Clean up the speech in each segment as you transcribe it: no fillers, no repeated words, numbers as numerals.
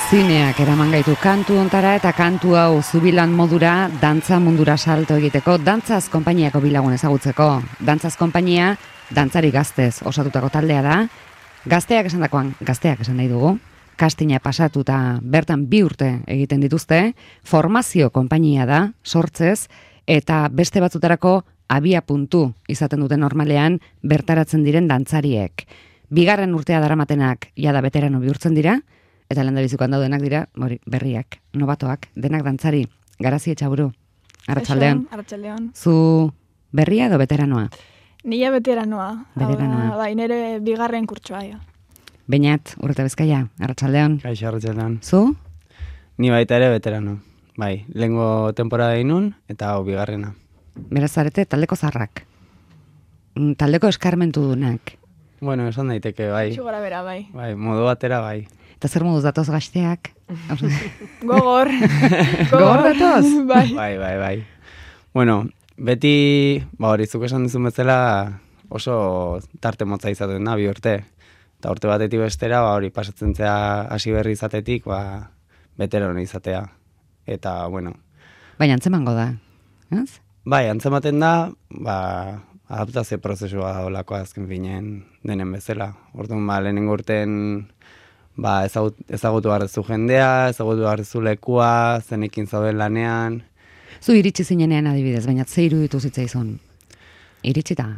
Zineak eraman gaitu kantu ontara eta kantu hau zubilan modura dantza mundura salto egiteko, dantzaz konpainiako bilagun ezagutzeko. Dantzaz konpainia, dantzari gaztez osatutako taldea da. Gazteak esan nahi dugu. Kastina pasatuta bertan 2 urte egiten dituzte. Formazio konpainia da, sortzez, eta beste batzutarako abia puntu izaten duten normalean bertaratzen diren dantzariek. 2. urtea daramatenak jada veterano bihurtzen dira, eta lehendabizikoan daudenak dira, berriak, nobatoak, denak dantzari. Garazi Etxaburu, arratsaldean. Arratsaldean. Zu berria edo veteranoa? Nila veteranoa. Veteranoa. Bai, nire 2. kurtsoa. Ja. Beñat, Urreta Bizkaia, arratsaldean. Kaixo, arratsaldean. Zu? Ni baita ere veterano. Bai, lehengo temporada inun eta hau 2. Beraz zarete taldeko zarrak. Taldeko eskarmentu dunak. Bueno, esan daiteke, bai. Txugora bera, bai. Bai, modu batera, bai. Eta zer moduz datoz gazteak? Gogor. Gogor datoz? Bai. Bai. Bueno, beti, hori zuk esan dizun bezala oso tarte motza izaten da, 2 urte. Eta urte batetik bestera, hori pasatzen zea hasi berri izatetik, veterano izatea. Eta, bueno. Baina antzemango da, ez? Bai, antzematen da, adaptazio prozesua da olako azken finen denen bezala. Orduan, lehenengo urten ezagutu behar duzu jendea, ezagutu behar duzu lekua, zenekin zauden lanean. Zu iritsi zinenean adibidez, baina ze iruditu zitzaizun? Iritsita?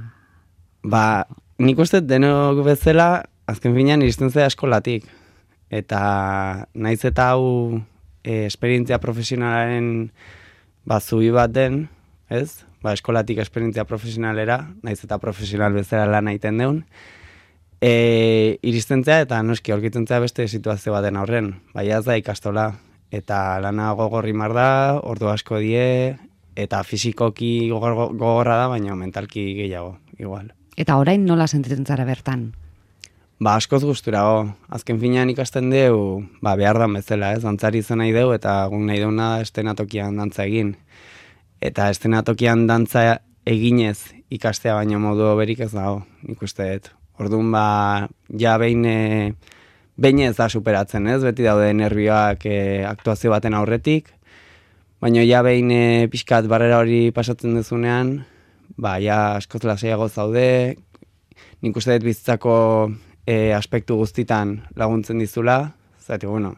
Nik uste denok bezala, azken finean iristen zea eskolatik. Eta naiz eta hau esperientzia profesionalaren zubi bat den, ez? Eskolatik esperientzia profesionalera, naiz eta profesional bezala lan egiten deun. Iristen zea eta noski aurkitzen zea beste situazio baten aurren. Ez da ikastola. Eta lana gogorri mar da, ordu asko die, eta fizikoki gogorra da, baina mentalki gehiago, igual. Eta orain nola sentitzen zara bertan? Askoz gusturago. Azken finean ikasten deu, behar dan bezala, ez? Dantzari izan nahi deu, eta guk nahi deuna estenatokian dantza egin. Eta estenatokian dantza eginez ikastea baino modu berik ez dago, nik uste dut. Orduan, ja behin ez da superatzen, ez? Beti daude nervioak aktuazio baten aurretik, baina ja behin pixkat barrera hori pasatzen duzunean, ja askoz lasaiago zaude, nik uste dut bizitzako aspektu guztitan laguntzen dizula, zati, bueno,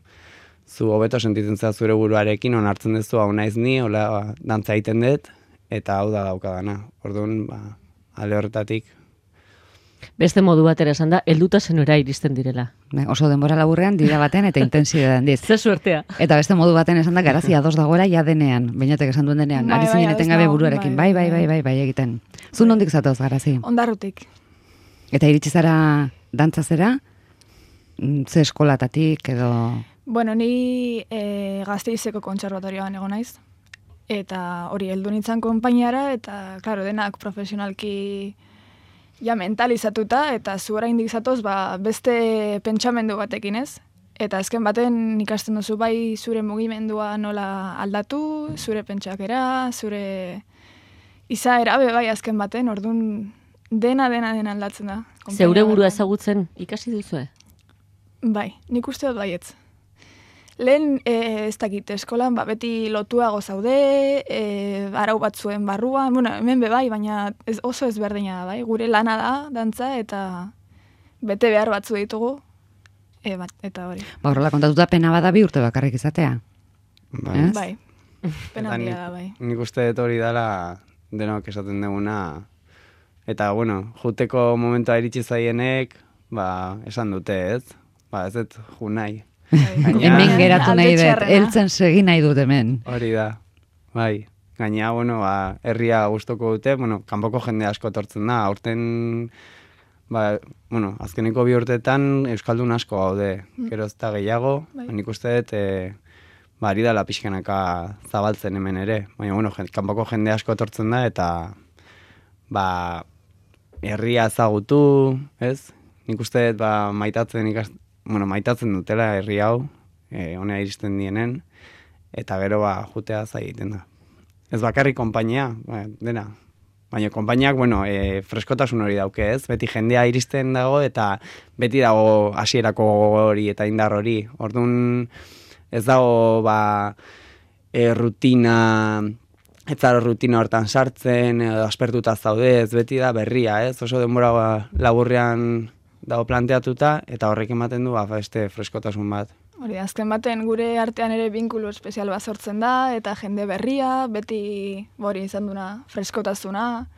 zu hobeto sentitzen zera zure buruarekin, onartzen duzu hau naiz ni, hola dantza egiten dut, eta hau da daukadana. Orduan, ale horretatik. Beste modu batera esan da, helduta zenora iristen direla. Oso denbora laburrean dira baten eta intensidadean diz. Ze suertea. Eta beste modu baten esan da, Garazi ados dagoela ja denean, Beñatek esan duen denean, ari zinen etengabe buruarekin, bai egiten. Zu nondik zatoz, Garazi? Ondarrutik. Eta iritsi zara dantzazera? Ze eskolatatik edo... Bueno, ni Gasteizeko kontserbatorioan egon naiz. Eta hori heldu nintzen konpainiara, eta, klaro, denak profesionalki ja mentalizatuta, eta zu oraindik zatoz, beste pentsamendu batekin, ez? Eta azken baten ikasten duzu bai zure mugimendua nola aldatu, zure pentsakera, zure izaera bai azken baten, orduan dena aldatzen da. Zeure burua ezagutzen ikasi duzue? Bai, nik uste dut baietz. Lehen, ez dakit, eskolan, beti lotuago zaude, arau batzuen barruan, bueno, hemen bai, baina oso ezberdina da, bai, gure lana da, dantza, eta bete behar batzu ditugu, eta hori. Horrela kontatuta pena bada 2 urte bakarrik izatea. Bai, pena handia da, bai. Nik uste dut hori dela denok esaten duguna, eta, bueno, juteko momentua iritsi zaienek, esan dute, ez? Ez dut ju nahi. Hemen geratu nahi dut, heltzen segi nahi dut hemen. Hori da, bai. Gaina, bueno, herria gustoko dute, bueno, kanpoko jende asko etortzen da, aurten, bueno, azkeneko 2 urteetan euskaldun asko gaude, gero ez da gehiago, nik uste dut, ari dala pixkanaka zabaltzen hemen ere, baina, bueno, kanpoko jende asko etortzen da, eta, herria ezagutu, ez? Nik uste dut, maitatzen dutela herri hau, honea iristen dienen, eta gero jutea zaiten da. Ez bakarrik konpainia, dena, Baina konpainiak, bueno, freskotasun hori dauke, ez? Beti jendea iristen dago eta beti dago hasierako hori eta indar hori. Orduan ez dago rutina, ez zara rutina hortan sartzen, aspertuta zaude, ez beti da berria, ez? Oso denbora laburrean dago planteatuta eta horrek ematen du beste freskotasun bat. Hori, azken baten gure artean ere binkulu espezial bat sortzen da, eta jende berria, beti hori izan duna freskotasuna,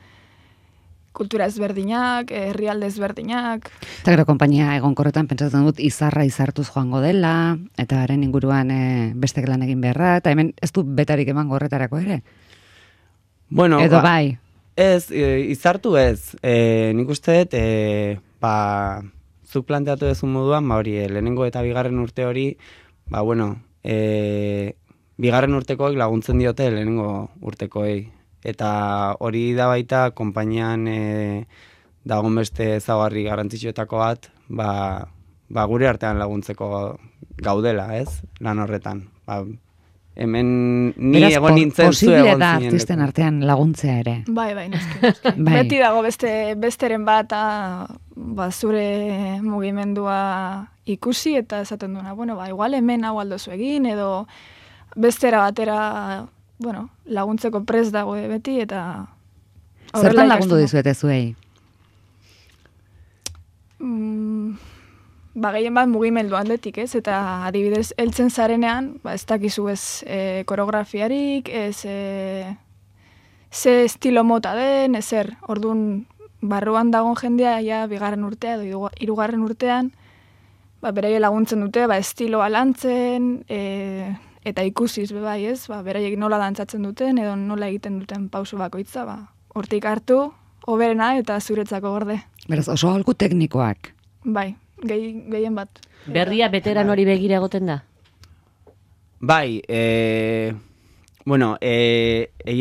kultura ezberdinak, herrialde ezberdinak. Eta gero konpainia egonkorretan pentsatzen dut izarra izartuz joango dela, eta haren inguruan beste lan egin beharra, eta hemen ez du betarik emango horretarako ere? Bueno, edo bai? Ez, izartu ez. Nik uste dut, zuk planteatu dezun moduan, hori, lehenengo eta bigarren urte hori, bigarren urtekoek laguntzen diote lehenengo urtekoei. Eta hori da baita, konpainian dagoen beste ezaugarri garrantzitsuetako bat, gure artean laguntzeko gaudela, ez? Lan horretan. Hemen ni egon nintzen zu egon zinen. Posible da artisten artean laguntzea ere. Bai, noski. Beti dago besteren bat, zure mugimendua ikusi eta esaten duena, igual hemen hau aldozu egin, edo bestera batera, laguntzeko prest dago beti, eta... Zertan lagundu dizuete zuei? Gehien bat mugimendu atletik, ez? Eta adibidez, heltzen zarenean, ez dakizu ez koreografiarik, ez ze estilo mota den, ezer. Orduan, barruan dagoen jendea, ja, bigarren urtea edo hirugarren urtean, beraie laguntzen dute, estiloa lantzen, eta ikusiz bai, ez? Beraiek nola dantzatzen duten, edo nola egiten duten pauso bakoitza, hortik hartu, hoberena eta zuretzako gorde. Beraz, oso aholku teknikoak. Bai. Gehien bat. Berria beteran hori begira egoten da? Bai, egia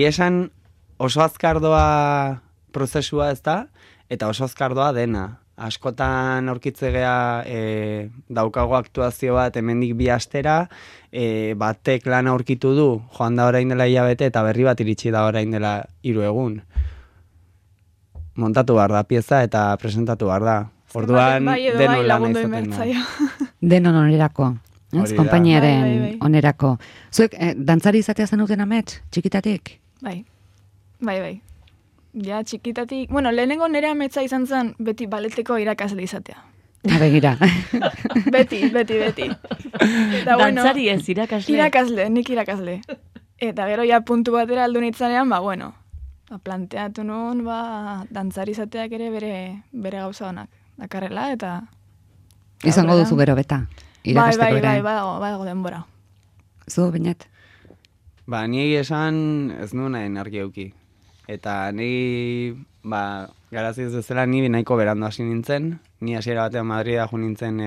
esan oso azkardoa prozesua ez da, eta oso azkardoa dena. Askotan aurkitzegea daukago aktuazio bat hemendik 2 astera, batek lan aurkitu du, joan da orain dela hilabete, eta berri bat iritsi da orain dela 3 egun. Montatu behar da pieza eta presentatu behar da. Orduan, denon lan izaten da. Denon onerako, konpainiaren onerako. Zuek, dantzari izatea zenuten amets, txikitatik? Bai. Ja, txikitatik... lehenengo nire ametsa izan zen beti baleteko irakasle izatea. Begira. Beti. Dantzari ez, irakasle? Nik irakasle. Eta gero ja puntu batera aldu nitzanean, planteatu nuen, dantzari izateak ere bere gauza honak. Dakarrela, eta... Izango duzu gero beta, irakasteko ere. Bai, badago denbora. Zu, Beñat? Ni esan ez nuen nahi argi euki. Eta ni, garaziz bezala, ni nahiko berandu hasi nintzen. Ni hasiera batean Madrida jo nintzen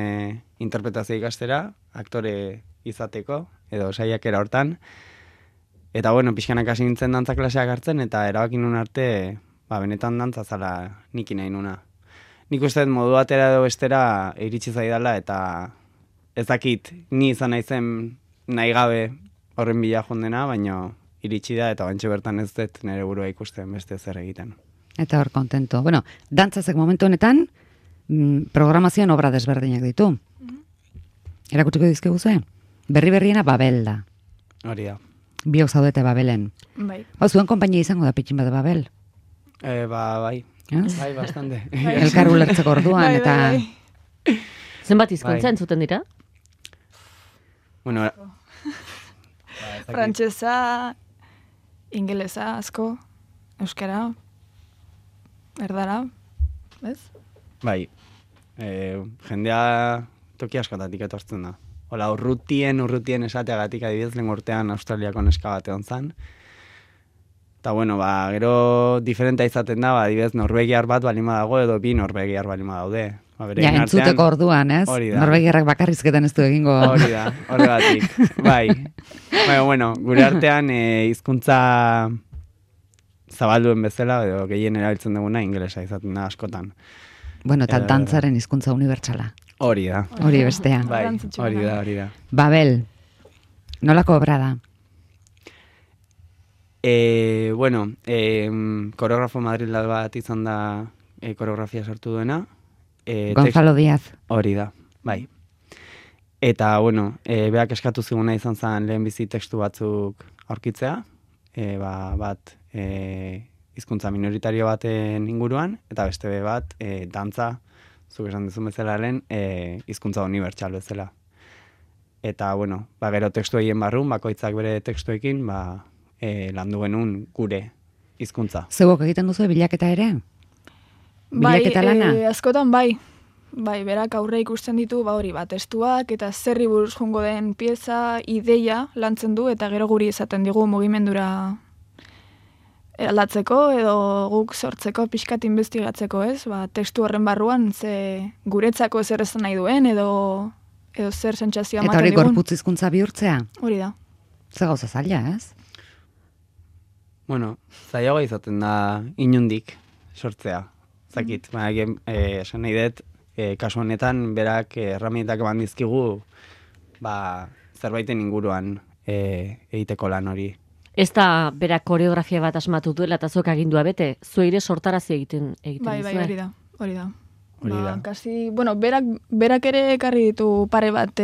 interpretazio ikastera, aktore izateko, edo saiakera hortan. Eta, pixkanak hasi nintzen dantza klaseak hartzen, eta erabakin nuen arte, benetan dantza zala niki nahi nuna. Nik uste modu batera edo bestera iritsi zaidala, eta ez dakit ni izan naizen nahi gabe horren bila jondena, baina iritsi da, eta bantxe bertan ez dut nire burua ikusten beste zer egiten. Eta hor kontento. Dantzazek momentu honetan, programazioan obra desberdinak ditu. Erakutsiko dizkigu zuen? Berriena Babel da. Hori da. Biok zaudete Babelen. Bai. Zuen konpainia izango da pitxin bat Babel? Bai. Bai, bastante. Elkar ulertzeko orduan, eta... Zenbat hizkuntza entzuten dira? Frantsesa, ingelesa, asko, euskara, erdara, ez? Bai, jendea toki askotatik etortzen da. Hola, urrutien esateagatik adibidez lehen urtean Australiako neska bat egon zan. Eta, gero diferenta izaten da, adibidez, norvegiar bat balima dago, edo 2 norvegiar balima daude. Ja, entzuteko orduan, ez? Norvegiarrak bakarrizketan ez du egingo. Hori da, horregatik. Bai. Gure artean hizkuntza zabalduen bezala, edo gehien erabiltzen duguna, ingelesa izaten da askotan. Eta dantzaren hizkuntza unibertsala. Hori da. Hori bestea. Bai, hori da. Babel, nolako obra da? Bueno, koreografo Madrilda bat izan da koreografia sartu duena. Gonzalo Díaz. Hori da, bai. Eta, bueno, beak eskatu ziguna izan zen lehenbizi tekstu batzuk aurkitzea, bat hizkuntza minoritario baten inguruan, eta beste bat dantza, zuk esan duzun bezala lehen, hizkuntza unibertsal bezala. Eta, bueno, gero tekstu egin barrun, bakoitzak bere tekstuekin, landu genuen gure hizkuntza. Zeuok egiten duzu bilaketa ere? Bilaketa lana? Askotan bai. Bai, berak aurre ikusten ditu, hori testuak eta zerri buruz jongo den pieza, ideia lantzen du, eta gero guri esaten digu mugimendura aldatzeko edo guk sortzeko pixkat investigatzeko, ez? Testu horren barruan guretzako zer esan nahi duen edo zer sentsazioa ematen digun. Eta hori gorputz hizkuntza bihurtzea? Hori da. Ze gauza zaila, ez? Bueno, zailagoa izaten da inundik sortzea. Zakit, esan nahi dut, kasu honetan berak erramientak eman dizkigu zerbaiten inguruan egiteko lan hori. Ez da berak koreografia bat asmatu duela eta zuek agindua bete, zueire sortarazi egiten bai, duzue. Hori da. Kasi, berak ere ekarri ditu pare bat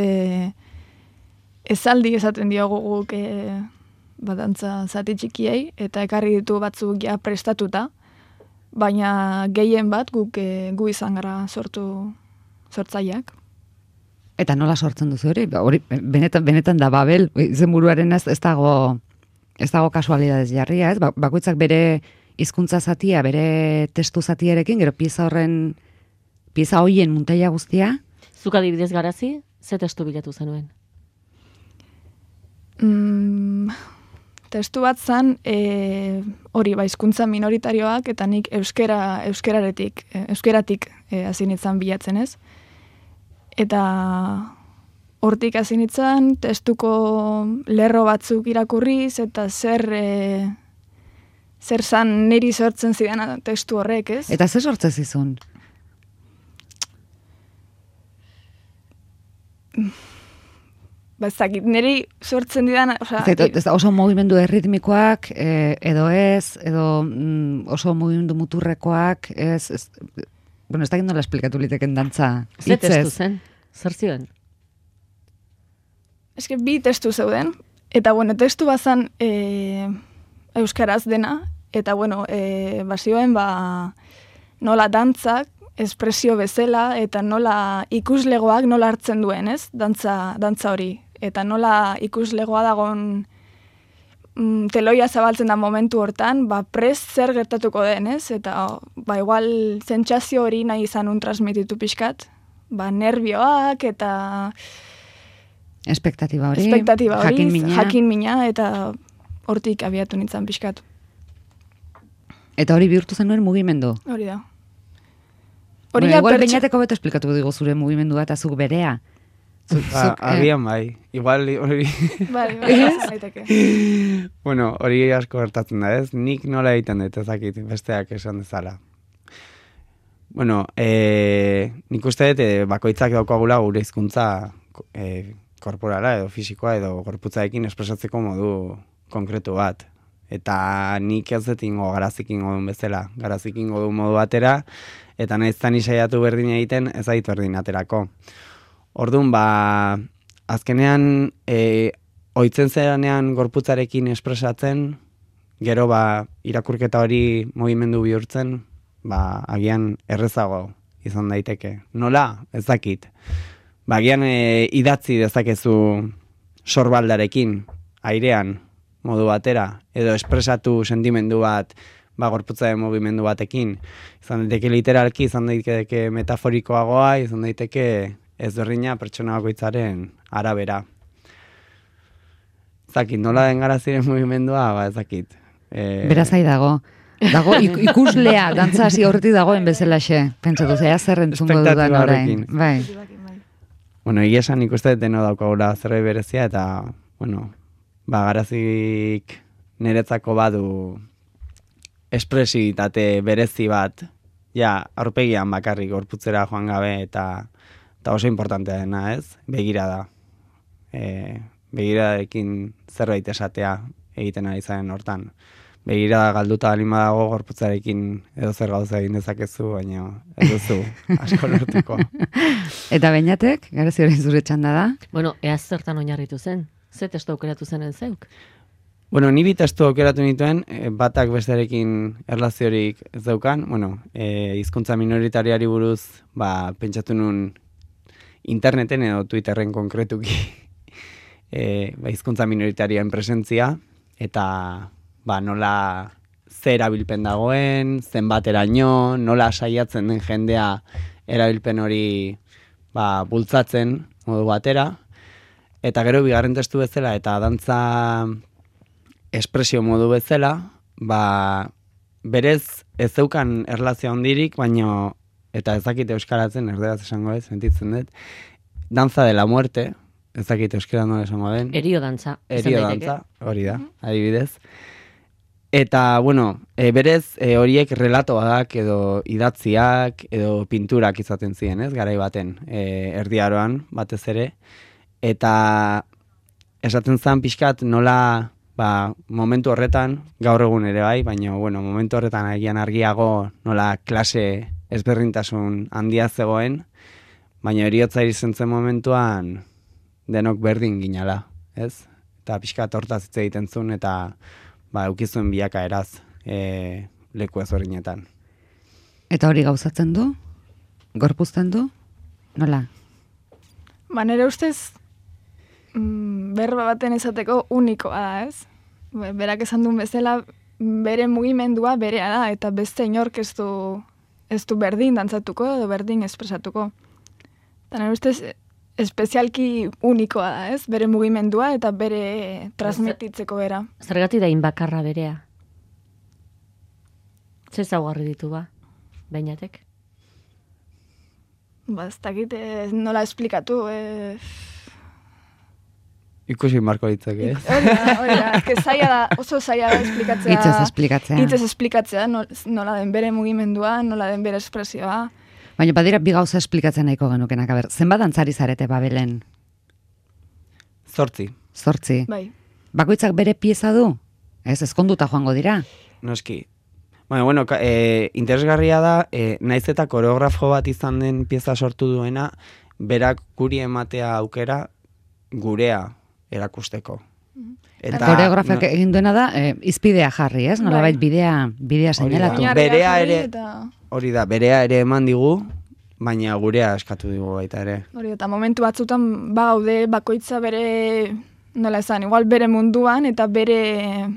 esaldi esaten diogu guk dantza zati txikiei, eta ekarri ditu batzuk ja prestatuta, baina gehien bat gu izan gara sortzaileak. Eta nola sortzen duzu hori? Hori benetan da Babel, izenburuaren ez dago kasualidades jarria, ez? Bakoitzak bere hizkuntza zatia, bere testu zatiarekin, gero pieza hoien muntaia guztia. Zuk adibidez Garazi, ze testu bilatu zenuen? Testu bat zan, hori hizkuntza minoritarioak, eta nik euskeratik hasi nintzen bilatzen, ez? Eta hortik hasi nintzen testuko lerro batzuk irakurriz, eta zer zan niri sortzen zidan testu horrek, ez? Eta zer sortzen zizun? Zakit, niri sortzen didan... Oso mugimendu erritmikoak, edo oso mugimendu muturrekoak, bueno, ez da gindola esplikatu liteken dantza. Ze testu zen? Zer zioen? Ez que bi testu zeuden, eta bueno, testu bazan euskaraz dena, eta bueno, bazioen nola dantzak, espresio bezala, eta nola ikuslegoak nola hartzen duen, ez? Dantza hori. Eta nola ikuslegoa dagon teloia zabaltzen da momentu hortan, prest zer gertatuko den, ez? Eta, igual, sentsazio hori nahi izan transmititu pixkat. Nervioak eta... Espektatiba hori, jakin mina, eta hortik abiatu nintzen pixkat. Eta hori bihurtu zenuen mugimendu? Hori da. Igual bainateko beto esplikatu dugu zure mugimendua eta zuk berea. Agian bai, igual hori... Bueno, hori asko gertatzen da, ez? Nik nola egiten dut, ezakit, besteak esan dezala. Bueno, nik uste dut bakoitzak daukagula gure hizkuntza korporala edo fisikoa edo gorputzaekin espresatzeko modu konkretu bat. Eta nik ez dut ingo Garazik ingo duen bezala. Garazik ingo duen modu batera, eta nahiz zan isaiatu berdin egiten, ez aitu berdin aterako. Orduan, azkenean, ohitzen zeranean gorputzarekin espresatzen, gero irakurketa hori mugimendu bihurtzen, agian errezago izan daiteke. Nola? Ez dakit. Agian idatzi dezakezu sorbaldarekin, airean, modu batera, edo espresatu sentimendu bat, gorputzaren mugimendu batekin. Izan daiteke literalki, izan daiteke metaforikoagoa, izan daiteke ezberdina pertsona bakoitzaren arabera. Zakit, nola den Garaziren mugimendua, ezakit. Beraz ahi dago. Dago ikuslea, dantza hasi horretik dagoen bezalaxe. Pentsatu, zea zer entzungo dudan orain. Bai. Bueno, egia esan ikuste deno daukagula zerbait berezia, eta, bueno, Garazik niretzako badu espresibitate berezi bat, aurpegian bakarrik gorputzera joan gabe, eta oso importantea dena, ez? Begirada. Begiradarekin zerbait esatea. egiten ari zaren hortan. Begira galduta balima dago gorputzarekin edo zer gauza egin dezakezu, baina ez duzu asko lortuko. Eta Beñatek, Garazi hori zure txanda da? Bueno, ea zertan oinarritu zen? Ze testu aukeratu zenen zeuk? Bueno, ni bi testu aukeratu nituen, batak bestearekin erlaziorik ez daukan, hizkuntza minoritariari buruz, pentsatu nun interneten edo Twitterren konkretuki hizkuntza minoritarioen presentzia, eta nola ze erabilpen dagoen, zenbateraino, nola saiatzen den jendea erabilpen hori bultzatzen modu batera, eta gero bigarren testu bezala eta dantza espresio modu bezala, berez ez zeukan erlazio handirik, baino, eta ez dakit euskaratzen, erderaz esango ez, sentitzen dut, danza de la muerte, ez dakit euskara nola esango den. Erio dantza. Erio dantza, hori da, adibidez. Eta, berez horiek relatoak edo idatziak edo pinturak izaten ziren, ez, garai baten, erdiaroan batez ere. Eta esaten zen pixkat nola, momentu horretan, gaur egun ere bai, baina, momentu horretan agian argiago nola klase ezberdintasun handia zegoen, baina eriotza irizen zen momentuan denok berdin ginala, ez? Eta pixkat hortaz hitz egiten zuen, eta eukizuen bilaka eraz leku ezberdinetan. Eta hori gauzatzen du? Gorpuzten du? Nola? Nire ustez, berba baten esateko unikoa da, ez? Berak esan duen bezala, bere mugimendua berea da, eta beste inork ez du berdin dantzatuko edo berdin espresatuko. Eta nire ustez, espezialki unikoa da, ez? Bere mugimendua eta bere transmititzeko bera. Zergatik da inbakarra berea? Ze zaugarri ditu Beñatek? Ez dakit nola esplikatu. Ikusi marko ditzake, ez? Hori da, oso zaila da esplikatzea. Hitzez esplikatzea, nola den bere mugimendua, nola den bere espresioa. Baina badira bi gauza esplikatzen nahiko genukenak, zenbat dantzari zarete Babelen? 8. 8. Bai. Bakoitzak bere pieza du? Ez, ezkonduta joango dira? Noski. Interesgarria da, naiz eta koreografo bat izan den pieza sortu duena, berak guri ematea aukera gurea erakusteko. Eta koreografiak egin duena da, izpidea jarri, ez? Nolabait bidea seinalatu. Berea ere... Hori da, berea ere eman digu, baina gurea eskatu digu baita ere. Hori, eta momentu batzutan gaude bakoitza bere, nola esan, igual bere munduan, eta bere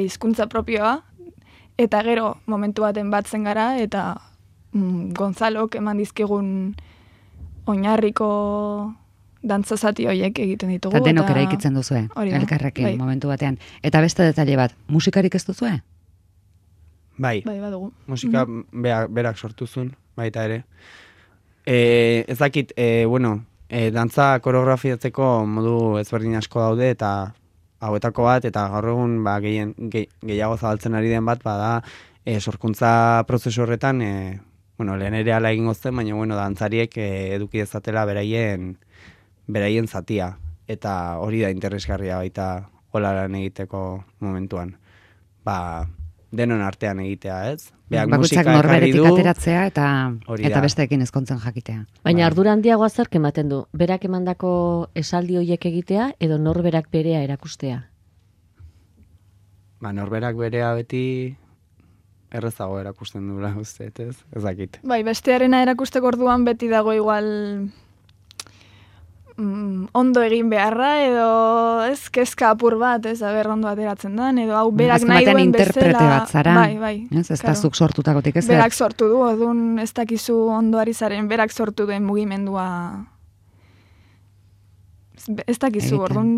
hizkuntza propioa, eta gero momentu baten batzen gara, eta Gonzalok eman dizkigun oinarriko dantzazati horiek egiten ditugu. Eta denok eraikitzen duzue, elkarrekin momentu batean. Eta beste detaile bat, musikarik ez duzue? Bai, badugu. Musika berak sortu zuen, baita ere. Ez dakit, dantza koreografiatzeko modu ezberdin asko daude, eta hauetako bat, eta gaur egun gehiago zabaltzen ari den bat, da sorkuntza prozesu horretan, lehen ere ala egingo zen, baina dantzariek eduki dezatela beraien zatia. Eta hori da interesgarria baita hola lan egiteko momentuan. Denon artean egitea, ez? Bakoitzak norberetik ateratzea eta besteekin ezkontzen jakitea. Baina ardura handiagoa zerk ematen du? Berak emandako esaldi horiek egitea edo norberak berea erakustea? Norberak berea beti errezago erakusten dula, uste, ez? Ez dakit. Bai, bestearena erakusteko orduan beti dago igual ondo egin beharra, edo ez kezka apur bat, ez aber ondo ateratzen den, edo hau berak nahi duen bezala. Interprete bat zara, bai, ez da zuk sortutakotik ez? Berak sortu du, odun ez dakizu ondoari zaren, berak sortu duen mugimendua. Ez dakizu, orduan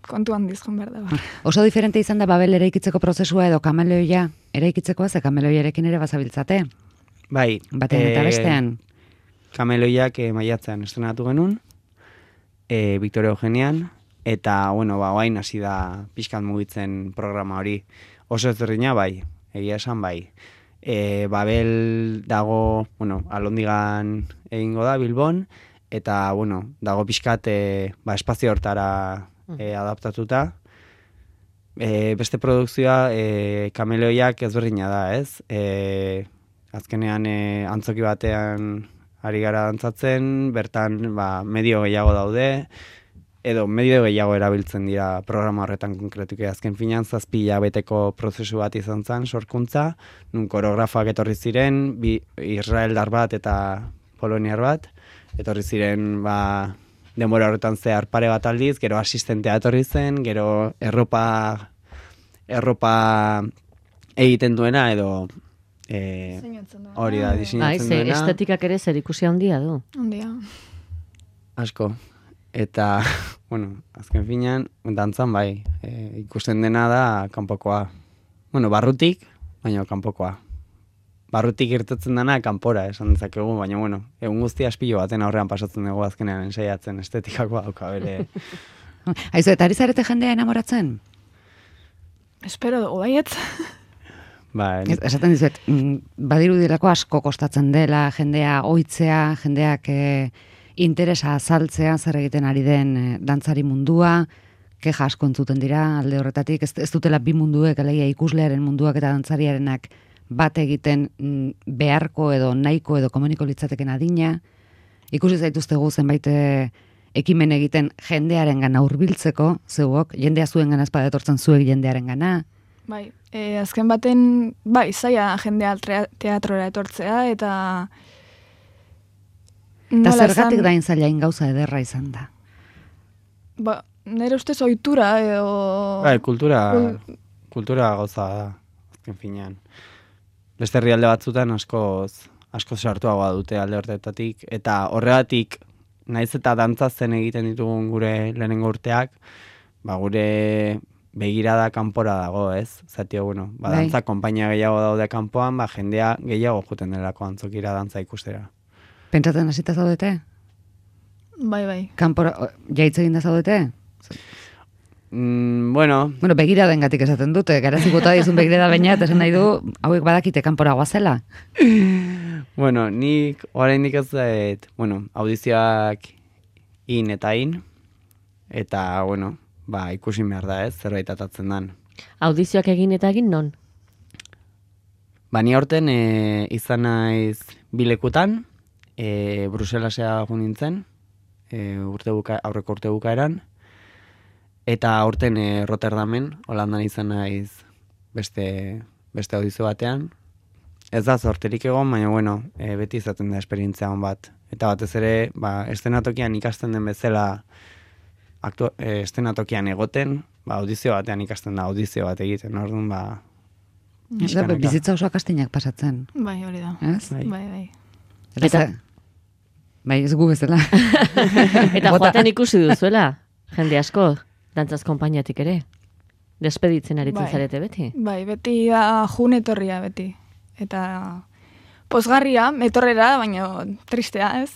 kontu handiz joan behar da. Oso diferente izan da Babel eraikitzeko prozesua edo kameleoia eraikitzekoa, ze kameloiarekin ere bazabiltzate? Bai. Batean eta bestean? Kameloiak maiatzean estrenatu genuen, Victoria Eugenian, eta, guain hasi da pixkat mugitzen programa hori. Oso ezberdina, bai, egia esan, bai. Babel dago, Alondigan egingo da, Bilbon, eta, dago pixkat espazio hortara adaptatuta, Beste produkzioa kameleoiak ezberdina da, ez? Azkenean antzoki batean ari gara dantzatzen, bertan medio gehiago daude, edo medio gehiago erabiltzen dira programa horretan konkretuki. Azken finean 7 hilabeteko prozesu bat izan zen, sorkuntza, nun koreografoak etorri ziren, israeldar bat eta poloniar bat, etorri ziren denbora horretan zehar pare bat aldiz, gero asistentea etorri zen, gero erropa egiten duena, edo hori da, diseinatzen duena. Estetikak ere zer ikusi handia du. Handia. Asko. Eta, azken finean, dantzan bai, ikusten dena da kanpokoa. Barrutik, baina kanpokoa. Barrutik irtetzen dena kanpora, esan dezakegu, baina, egun guztia aspilo baten aurrean pasatzen dugu azkenean ensaiatzen estetikako dauka bere. Aizu, eta ari zarete jendea enamoratzen? Espero dugu baietz. Esaten dizuet, badirudirako asko kostatzen dela, jendea ohitzea, jendeak interesa azaltzea, zer egiten ari den dantzari mundua, keja asko entzuten dira alde horretatik, ez dutela bi munduek, alegia ikuslearen munduak eta dantzariarenak bat egiten beharko edo nahiko edo komuniko litzateken adina. Ikusi zaituztegu zenbait ekimen egiten jendearen gana hurbiltzeko, zeuok, jendea zuen gana espada etortzen zuek jendearen gana. Bai, azken baten, zaila jendea teatrora etortzea, eta zergatik dain zailain gauza ederra izan da? Nire ustez ohitura edo... Kultura gauza da, azken finean. Beste herrialde batzutan asko sartuagoa dute alde horretatik, eta horregatik, naiz eta dantzatzen egiten ditugun gure lehenengo urteak, gure begirada kanpora dago, ez? Zatio, dantza konpainia gehiago daude kanpoan, jendea gehiago juten delako antzokira dantza ikustera. Pentsatzen hasita zaudete? Bai. Kanpora, jaitz egin da zaudete? Begiraden gatik esaten dute, garazik bota dizun begirada baina, eta esan nahi du, hauek badakite kanpora guazela. Nik oraindik ez dut, audizioak in, eta, ikusi behar da, ez, zerbait atatzen dan. Audizioak egin eta egin non? Ni aurten izan naiz bilekutan, Bruselasea jo nintzen, aurreko urte bukaeran, eta aurten Rotterdamen, Holandan izan naiz beste audizio batean. Ez da zorterik egon, baina beti izaten da esperientzia hon bat. Eta batez ere, estenatokian ikasten den bezala estenatokian egoten, audizio batean ikasten da audizio bat egiten, orduan bizitza oso akastinak pasatzen. Bai, hori da. Ez? Bai. Bai, ez gu bezala. Eta joaten ikusi duzuela, jende asko, dantzaz konpainiatik ere. Despeditzen aritzen zarete beti. Bai, beti da jun etorria beti. Eta pozgarria, etorrera, baina tristea, ez?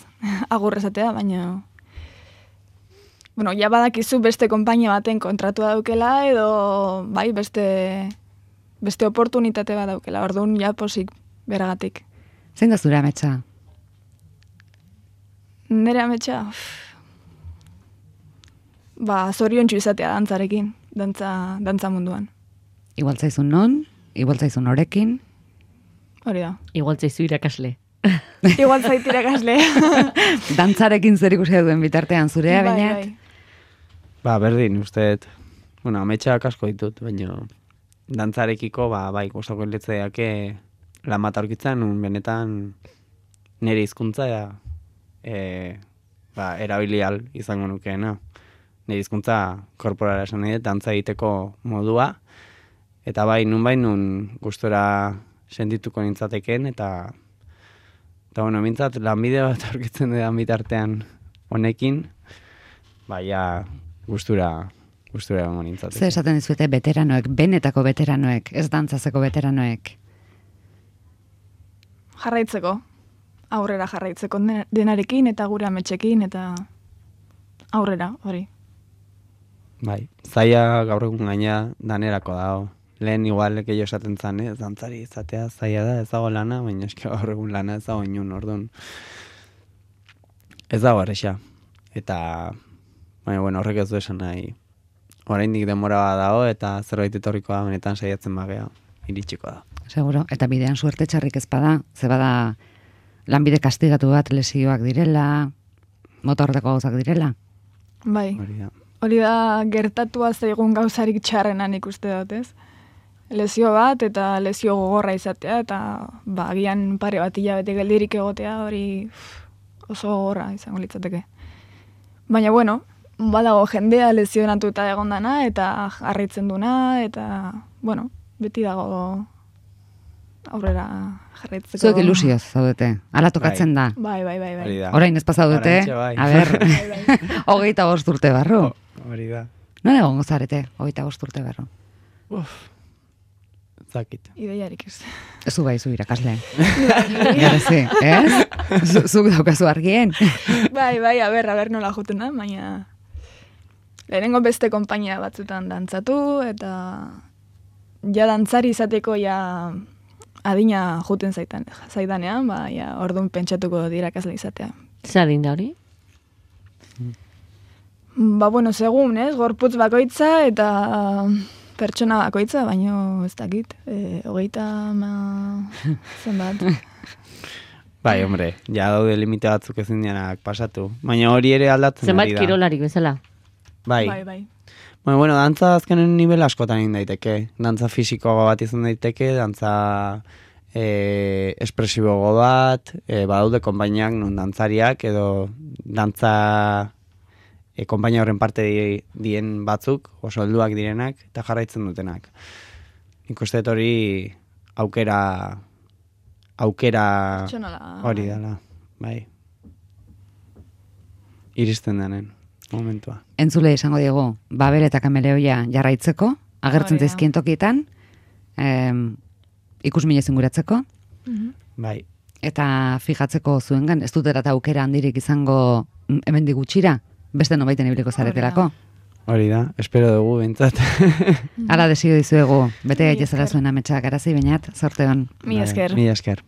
Agur esatea, baina... ja badakizu beste konpainia baten kontratua daukela, edo beste oportunitate bat daukela. Orduan, posik beragatik. Zein da zure ametsa? Nire ametsa? Zoriontsu izatea dantzarekin, dantza munduan. Igual zaizun non, igual zaizun norekin. Hori da. Igual zaizu irakasle. Igual zait irakasle. Dantzarekin zer ikusi duen bitartean zurea, bainat? Berdin, usteet. Ametsak asko ditut, baina dantzarekiko, gustoko letzeiake lan bat aurkitzen, benetan nire hizkuntza erabilial izango nukeena. Nire hizkuntza korporala esan nahi, dantza egiteko modua, eta nun gustora sentituko nintzateken, eta mintzat lanbide bat aurkitzen dudan bitartean honekin, gustura egongo nintzateken. Zer esaten dizuete veteranoek, benetako veteranoek, ez dantzazeko veteranoek? Jarraitzeko, aurrera jarraitzeko denarekin, eta gure ametxekin, eta aurrera, hori. Zaila gaur egun gaina danerako dago. Lehen igual gehiago esaten zan, dantzari izatea zaila da, ez dago lana, baina eski gaur egun lana ez dago inun, orduan. Ez dago erresa. Eta, horrek ez du esan nahi oraindik denbora bat dago, eta zerbait etorriko da, benetan saiatzen bagea, iritsiko da. Seguro, eta bidean suerte txarrik ez bada, ze bada lanbide kastigatu bat lesioak direla, mota horretako gauzak direla. Bai, Hori da. hori da gertatua zaigun gauzarik txarrenan ikuste dut, ez? Lesio bat eta lesio gogorra izatea, eta agian pare bat hilabete geldirik egotea, hori oso gogorra izango litzateke. Baina, bueno, badago jendea lesionatuta egondana, eta harritzen duna, eta, bueno, beti dago aurrera jarraitzeko. Zuek ilusioz zaudete, ala tokatzen da. Bai. Hori da. Orain ez pasaudete, Oraintxe bai. a ber, 25 urte barru. Hori da. Non egongo zarete, 25 urte barru? Zakit. Ideiarik ez. Zu bai, zu irakasle. Garezi, ez? Zuk daukazu argien. Bai, a ber nola juten da, baina lehenengo beste konpainia batzutan dantzatu, eta ja dantzari izateko ja adina juten zaidanean, ja orduan pentsatuko irakasle izatea. Zer adin da hori? Bueno, segun, ez? Gorputz bakoitza eta pertsona bakoitza, baino ez dakit. 30 zenbat. Bai, hombre, ja daude limite batzuk ezin dianak pasatu. Baina hori ere aldatzen Zenbat ari da. kirolarik bezala? Bai. Bueno, dantza azkenen nivel askotan egin daiteke. Dantza fisikoago bat izan daiteke, dantza espresiboago bat, badaude konpainiak non dantzariak edo dantza konpainia horren parte dien batzuk, oso helduak direnak, eta jarraitzen dutenak. Nik uste dut hori aukera hori dela, bai. Iristen denen momentua. Entzule izango diegu, Babel eta Kameleoia jarraitzeko, agertzen zaizkien tokietan, ikusmine zinguratzeko, Bai. eta fijatzeko zuengan, ez dut erata aukera handirik izango hemendik gutxira, beste nobaiten ibiliko zaretelako. Hori da, espero dugu, bintzat. Hala desio dizuegu, bete gaitezela zuen ametsak, arazi bainat, zorte hon. Mi esker. Mi esker.